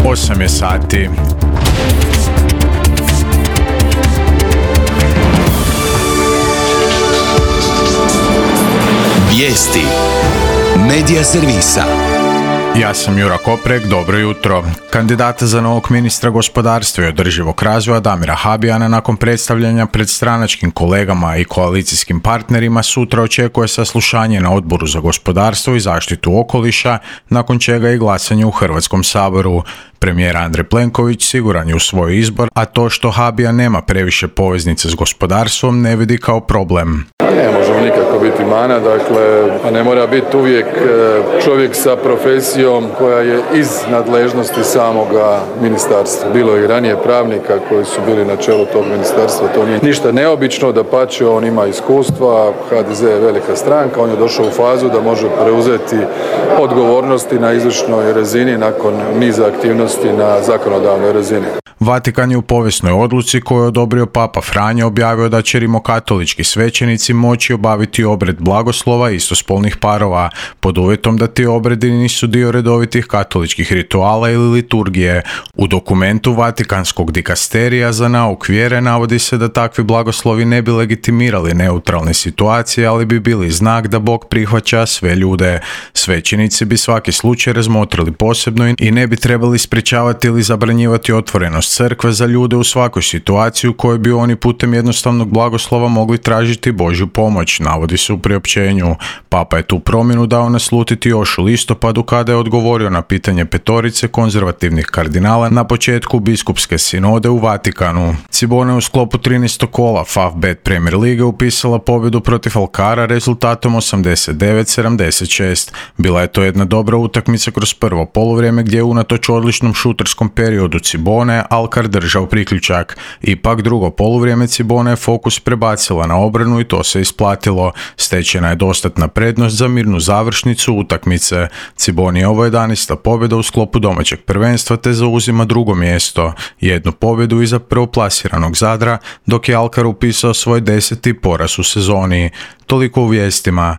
8 je sati. Vijesti Medija servisa. Ja sam Jura Koprek, dobro jutro. Kandidata za novog ministra gospodarstva i održivog razvoja Damira Habijana nakon predstavljanja pred stranačkim kolegama i koalicijskim partnerima sutra očekuje saslušanje na Odboru za gospodarstvo i zaštitu okoliša, nakon čega i glasanje u Hrvatskom saboru. Premijer Andrej Plenković siguran je u svoj izbor, a to što Habijan nema previše poveznice s gospodarstvom ne vidi kao problem. Ne možemo nikako biti mana, dakle, ne mora biti uvijek čovjek sa profesijom koja je iz nadležnosti samoga ministarstva. Bilo je i ranije pravnika koji su bili na čelu tog ministarstva, to nije ništa neobično, dapače, on ima iskustva, HDZ je velika stranka, on je došao u fazu da može preuzeti odgovornosti na izvršnoj razini nakon niza aktivnosti na zakonodavnoj razini. Vatikan je u povijesnoj odluci koju je odobrio Papa Franjo objavio da će rimokatolički svećenici moći obaviti obred blagoslova istospolnih parova, pod uvjetom da ti obredi nisu dio redovitih katoličkih rituala ili liturgije. U dokumentu Vatikanskog dikasterija za nauk vjere navodi se da takvi blagoslovi ne bi legitimirali neutralne situacije, ali bi bili znak da Bog prihvaća sve ljude. Svećenici bi svaki slučaj razmotrili posebno i ne bi trebali sprječavati ili zabranjivati otvorenost crkve za ljude u svakoj situaciji u kojoj bi oni putem jednostavnog blagoslova mogli tražiti Božju pomoć, navodi se u priopćenju. Papa je tu promjenu dao naslutiti još u listopadu kada je odgovorio na pitanje petorice konzervativnih kardinala na početku biskupske sinode u Vatikanu. Cibona je u sklopu 13. kola Favbet Premier Lige upisala pobjedu protiv Alcara rezultatom 89-76. Bila je to jedna dobra utakmica kroz prvo poluvrijeme gdje je unatoč odličnom šuterskom periodu Cibone Alcar držao priključak. Ipak drugo poluvrijeme Cibona je fokus prebacila na obranu i to se isplatilo. Stečena je dostatna prednost za mirnu završnicu utakmice. Ciboni je ovo 11. pobjeda u sklopu domaćeg prvenstva te zauzima drugo mjesto. Jednu pobjedu iza prvoplasiranog Zadra, dok je Alcar upisao svoj 10. poraz u sezoni. Toliko u vijestima.